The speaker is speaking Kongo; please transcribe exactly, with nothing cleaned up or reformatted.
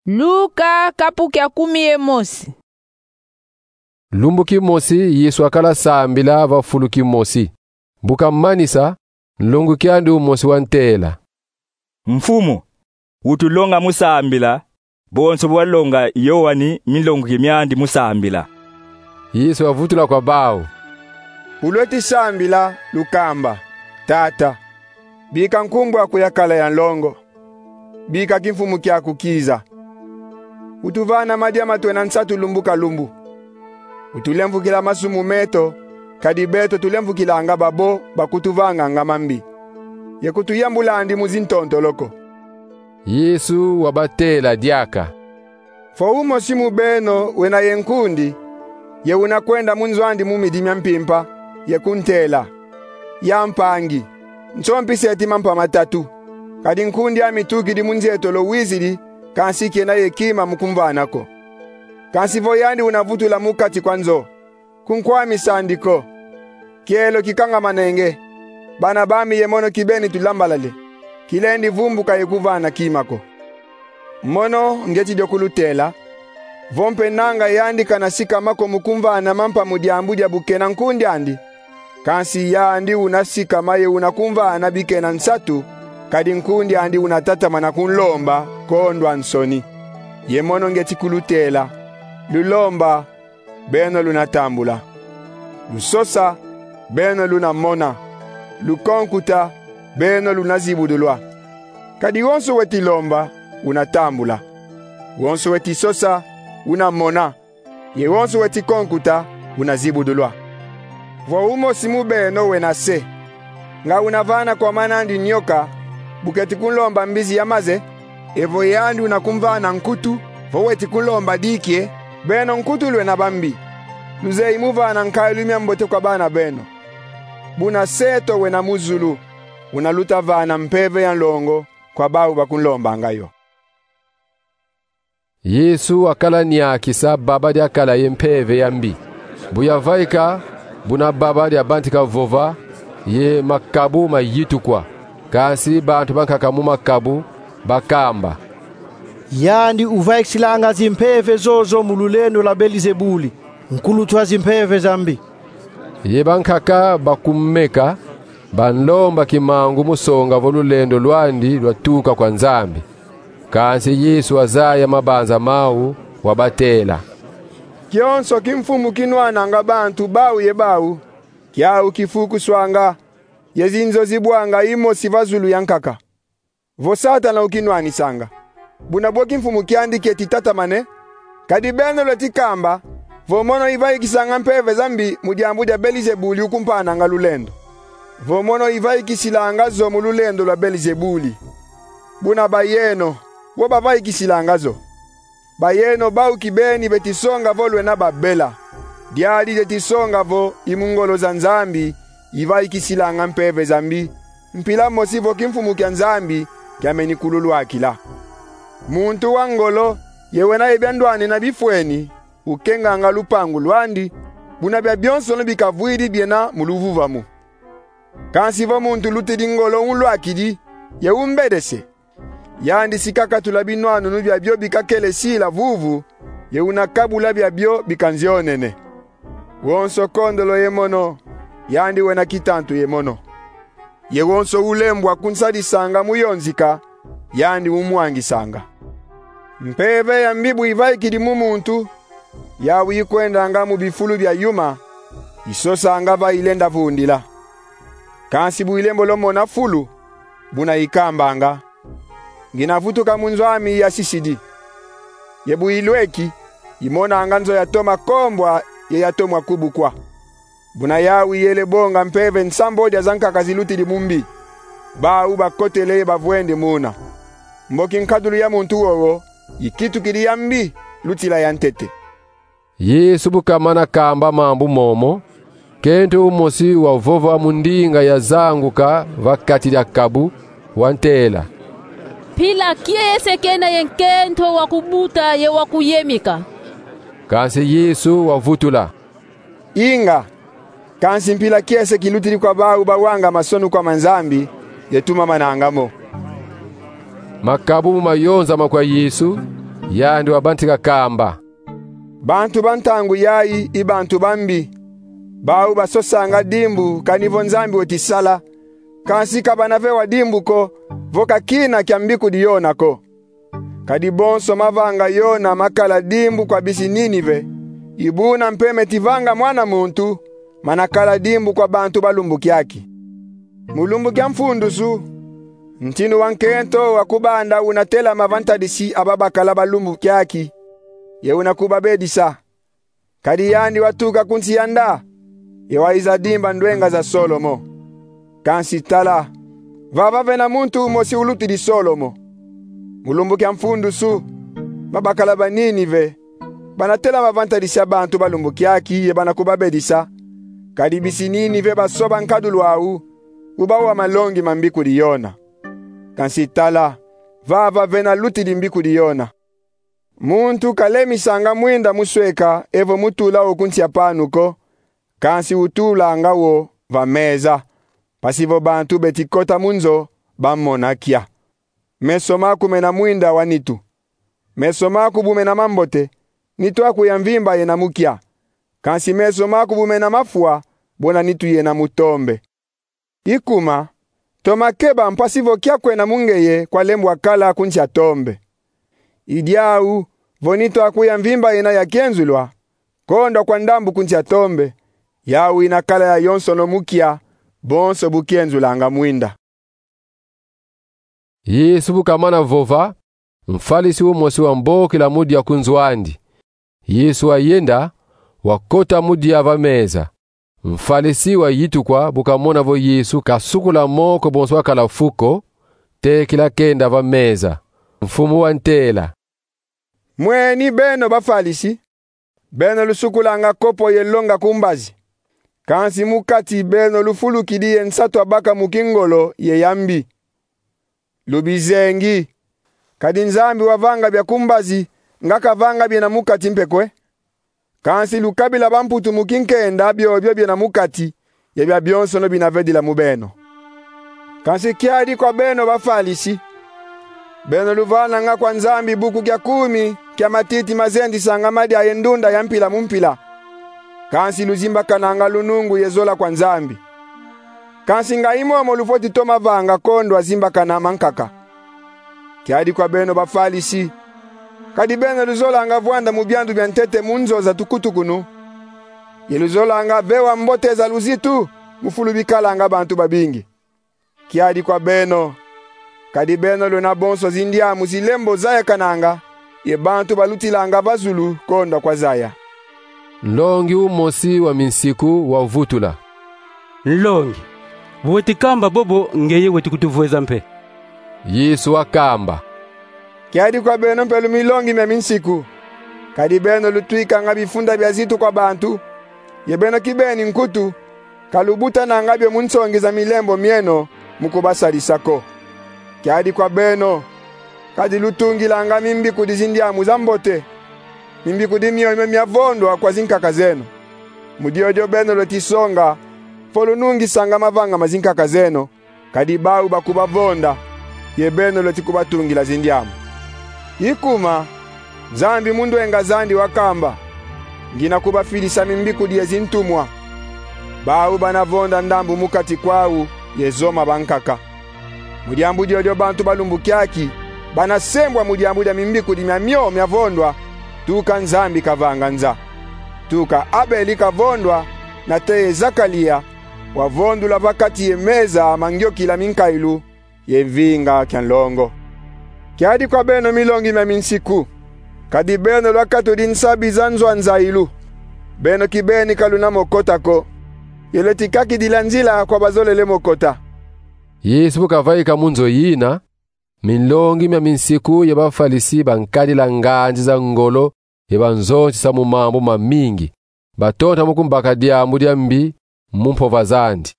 Luka, kapu kia kumi ye mosi. Lumbu kimosi Yesu akala sambila va fulu kimosi. Bu kamanisa, nlonguki andi umosi wantela: "Mfumu, utulonga mu sambila, bonso bu walonga Yoani minlonguki miandi mu sambila." Yesu wavutula kwa bau: "Bu lweti sambila, lukamba: Tata, bika nkumbu aku yakala ya nlongo. Bika kimfumu kiaku kiza. Utuvana madia ma twena nsatu lumbu ka lumbu. Utulemvukila masumu meto, kadi beto tulemvukilanga babo bakutuvanganga mambi. Ye kutuyambula andi mu zintontolo ko." Yesu wabatela diaka: "Vo umosi mu beno wena ye nkundi, ye una kwenda mu nzo andi mu midi mia mpimpa, ye kuntela: Ya mpangi, nsompeseti mampa matatu, kadi nkundi ame tukidi mu nzietolo, wizidi, kansi kena ye kima mu kumvana ko. Kansi vo yandi una vutula mu kati kwa nzo, kunkwamisa andi ko: Kielo kikangamanenge, bana bami ye mono kibeni tulambalale, kilendi vumbuka ye kuvana kima ko. Mono ngeti dio kulutela, vo mpe nanga yandi kana sikama ko mu kumvana mampa mu diambu dia bu kena nkundi andi, kansi yandi una sikama ye una kumvana bikena nsatu, kadi nkundi andi una tatamana kunlomba kondwa nsoni. Ye mono ngeti kulutela: lulomba, beno luna tambula. Lusosa, beno luna mona. Lukonkuta, beno luna zibudulwa. Kadi wonso weti lomba, una tambula. Wonso weti sosa, una mona. Ye wonso weti konkuta, una zibudulwa. Vo umosi mu beno wena se, nga una vana kwa mana andi nyoka, bu keti kunlomba mbizi ya maze, evo yandi una kumvana nkutu, vo weti kunlomba diki e, beno nkutu lwena bambi, luzeyi mu vana nkayilu mia mbote kwa bana beno. Buna Se eto wena mu zulu una luta vana mpeve ya nlongo kwa bau bakunlombanga yo." Yesu akala niakisa baba diakala ye mpeve ya mbi. Bu yavaika, buna baba diabantika vova, ye makabu mayitukwa. Kansi bantu bankaka mu makabu bakamba: "Yandi uvaikilanga zimpeve zozo mu lulendo lwa Belizebuli, nkulutwa zimpeve za mbi." Ye bankaka bakumeka, banlomba kimangu mu songa vo lulendo lwandi lwatuka kwa Nzambi. Kansi Yesu wazaya mabanza mau, wabatela: "Kionso kimfumu kinwananga bantu bau ye bau, kiau kifukuswanga, ye zinzo zibwanga imosi va zulu ya nkaka. Vo Satana ukinwanisanga, buna bwe kimfumu kiandi kieti tatamane? Kadi beno lweti kamba vo mono ivaikisanga mpeve za mbi mu diambu dia Belizebuli ukumpananga lulendo. Vo mono ivaikisilanga zo mu lulendo lwa Belizebuli, buna bayeno, wo bavaikisilanga zo? Bayeno bau kibeni beti songa vo lwena babela. Diadi dieti songa vo i mu ngolo za Nzambi ivaikisilanga mpeve za mbi, mpila mosi vo kimfumu kia Nzambi kiameni kululwakila. Muntu wa ngolo ye wena ye bia ndwanina bifweni, ukenganga lupangu lwandi, buna biabionsono bikavwidi biena mu luvuvamu. Kansi vo muntu lutidi ngolo unlwakidi, ye umbedese, yandi si kakatula binwanunu biabio bikakele sila vuvu, ye una kabula biabio bikanzionene. Wonso kondolo ye mono, yandi wena kitantu ye mono. Ye wonso ulembwa kunsadisanga mu yonzika, yandi umwangisanga. Mpeve ya mbi bu ivaikidi mu muntu, yau ikwendanga mu bifulu bia yuma, isosanga va ilenda vundila. Kansi bu ilembo lwamona fulu, buna ikambanga: 'Ngina vutuka mu nzo ami yasisidi.' Ye bu ilweki, imonanga nzo yatoma kombwa ye yatoma kubukwa. Buna yau iyele bonga mpeve nsambodia za nkaka zilutidi mu mbi, bau bakotele ye bavwendi muna. Mboki nkadulu ya muntu wowo ikitukidi ya mbi lutila ya ntete." Yesu bu kamana kamba mambu momo, nkento umosi wavova mu ndinga yazanguka va kati dia kabu, wantela: "Mpila kiese kena ye nkento wa kubuta ye wa kuyemika." Kansi Yesu wavutula: "Inga, kansi mpila kiese kilutidi kwa bau bawanga masonu kwa ma Nzambi, ye tumamananga mo." Makabu mu mayonzama kwa Yesu, Yandi wabantika kamba: Bantu ba ntangu yayi i bantu bambi. Bau basosanga dimbu kani vo Nzambi weti sala, kansi ka bana vewa dimbu ko vo ka kina kia mbikudi Yona ko. Kadi bonso mavanga Yona makala dimbu kwa bisi Ninive, i buna mpe meti vanga Mwana muntu mana kala dimbu kwa bantu ba lumbu kiaki. Mu lumbu kia mfundusu, ntinu wa nkento wa kubanda una telama va ntadisi a babakala ba lumbu kiaki, ye una kubabedisa. Kadi yandi watuka ku nsi ya nda, ye wayiza dimba ndwenga za Solomo. Kansi tala, vava vena muntu umosi ulutidi Solomo. Mu lumbu kia mfundusu, babakala ba Ninive bana telama va ntadisi a bantu ba lumbu kiaki ye bana kubabedisa, kadi bisi Ninive basoba nkadulu au, ubawa malongi ma mbikudi Yona. Kansi tala, vava vena lutidi mbikudi Yona. Muntu ka lemisanga mwinda mu sweka evo mu tula wo ku nsi a panu ko, kansi utulanga wo va meza, mpasi vo bantu beti kota mu nzo bamona kia. Meso maku mena mwinda wa nitu. Meso maku bu mena mambote, nitu aku ya mvimba yena mu kia. Kansi meso maku bu mena mafwa, bona nitu yena mu tombe. I kuma, toma keba mpasi vo kia kwena mu ngeye kwa lembwa kala ku nsi a tombe. I diau, vo nitu aku ya mvimba yena ya kienzulwa, kondwa kwa ndambu ku nsi a tombe, yau ina kala yayonsono mu kia, bonso bu kienzulanga mwinda. Yesu bu kamana vova, mfalisi umosi wambokila mu dia ku nzo andi. Yesu wayenda, wakota mu dia va meza. Mfalisi wayitukwa bu kamona vo Yesu kasukula moko bonso wakala fu ko, tekila kenda va meza. Mfumu wantela: Mweni beno bafalisi, beno lusukulanga kopo ye longa ku mbazi, kansi mu kati beno lufulukidi ye nsatu a baka mu kingolo ye ya mbi. Lubizengi. Kadi Nzambi wavanga bia ku mbazi, nga kavanga biena mu kati mpe kwe? Kansi lukabila bamputu mu kinkenda biobio biena mu kati, ye bia bionsono bina vedila mu beno. Kansi kiadi kwa beno bafalisi, beno luvananga kwa Nzambi buku kia kumi kia matiti mazendisanga madia ye ndunda ya mpila mu mpila, kansi luzimbakananga lunungu ye zola kwa Nzambi. Kansi nga i momo lufweti toma vanga kondwa zimbakana mankaka. Kiadi kwa beno bafalisi, kadi beno luzolanga vwanda mu biandu bia ntete mu nzo za tukutukunu, ye luzolanga vewa mbote za luzitu mu fulu bikalanga bantu babingi. Kiadi kwa beno, kadi beno lwena bonso zindiamu zilembo zayakananga, ye bantu balutilanga va zulu kondwa kwa zaya. Nlongi umosi wa minsiku wavutula: Nlongi, bu weti kamba bobo, ngeye weti kutuvweza mpe. Yesu wakamba: Kiadi kwa beno mpe lu milongi mia minsiku, kadi beno lutwikanga bifunda bia zitu kwa bantu, ye beno kibeni nkutu, ka lubutananga bio mu nsongi za milembo mieno mu kubasadisa ko. Kiadi kwa beno, kadi lutungilanga mimbikudi zindiamu za mbote, mimbikudi miomio miavondwa kwa zinkaka zeno. Mu diodio beno lweti songa vo lunungisanga mavanga ma zinkaka zeno, kadi bau bakubavonda, ye beno lweti kubatungila zindiamu. I kuma, Nzambi mu ndwenga zandi wakamba: Ngina kubafidisa mimbikudi ye zintumwa. Bau bana vonda ndambu mu kati kwau, ye zoma bankaka. Mu diambu diodio bantu ba lumbu kiaki bana sembwa mu diambu dia mimbikudi miamio miavondwa, tuka Nzambi kavanga nza. Tuka Abeli kavondwa, nate ye Zakalia, wavondula va kati ye meza ma ngiokila minkailu ye mvinga kia nlongo. Kiadi kwa beno milongi mia minsiku, kadi beno lwakatudi nsabi za nzo a nzayilu. Beno kibeni ka luna mo kota ko, ye lweti kakidila nzila kwa bazolele mo kota. Yesu bu kavaika mu nzo yina, milongi mia minsiku ye bafalisi bankadila nganzi za ngolo ye banzonzisa mu mambu mamingi, batonta mu kumbaka diambu dia mbi mu mpova zandi.